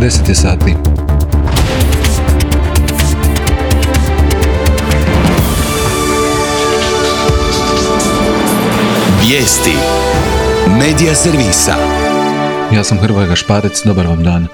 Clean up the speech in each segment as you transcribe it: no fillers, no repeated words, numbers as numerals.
10 je sati. Vijesti Medija servisa. Ja sam Hrvoje Gašparec, dobar vam dan.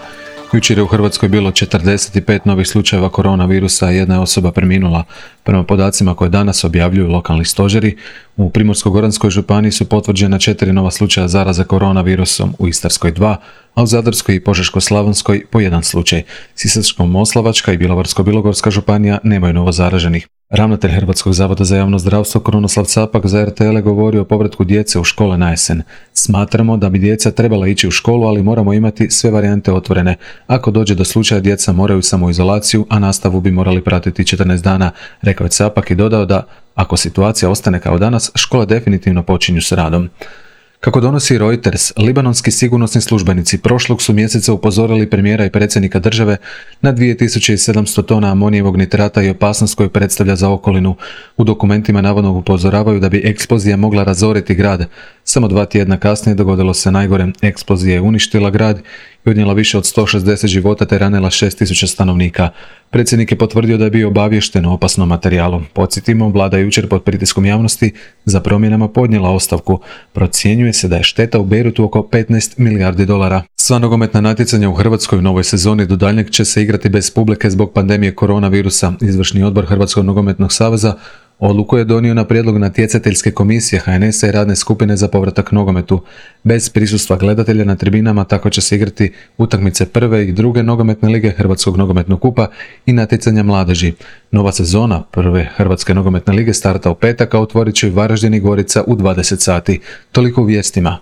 Jučer je u Hrvatskoj bilo 45 novih slučajeva koronavirusa, jedna je osoba preminula. Prema podacima koje danas objavljuju lokalni stožeri, u Primorsko-goranskoj županiji su potvrđena 4 nova slučaja zaraze koronavirusom, u Istarskoj 2, a u Zadarskoj i Požeško-slavonskoj po 1 slučaj. Sisačko-moslavačka i Bjelovarsko-bilogorska županija nemaju novo zaraženih. Ravnatelj Hrvatskog zavoda za javno zdravstvo Krunoslav Capak za RTL govori o povratku djece u škole na jesen. Smatramo da bi djeca trebala ići u školu, ali moramo imati sve varijante otvorene. Ako dođe do slučaja, djeca moraju samoizolaciju, a nastavu bi morali pratiti 14 dana, rekao je Capak i dodao da, ako situacija ostane kao danas, škole definitivno počinju s radom. Kako donosi Reuters, libanonski sigurnosni službenici prošlog su mjeseca upozorili premijera i predsjednika države na 2700 tona amonijevog nitrata i opasnost koju predstavlja za okolinu. U dokumentima navodno upozoravaju da bi eksplozija mogla razoriti grad. Samo 2 tjedna kasnije dogodilo se najgore. Eksplozija je uništila grad i odnijela više od 160 života te ranila 6000 stanovnika. Predsjednik je potvrdio da je bio obaviješten o opasnom materijalu. Podsjetimo, vlada je jučer pod pritiskom javnosti za promjenama podnijela ostavku. Procjenjuje se da je šteta u Bejrutu oko 15 milijardi dolara. Sva nogometna natjecanja u Hrvatskoj u novoj sezoni do daljnjeg će se igrati bez publike zbog pandemije koronavirusa. Izvršni odbor Hrvatskog nogometnog saveza odluku je donio na prijedlog natjecateljske komisije HNS-a i radne skupine za povratak nogometu. Bez prisustva gledatelja na tribinama tako će se igrati utakmice prve i druge nogometne lige Hrvatskog nogometnog kupa i natjecanja mladeži. Nova sezona prve Hrvatske nogometne lige starta u petak, a otvorit će Varaždin i Gorica u 20 sati. Toliko u vijestima.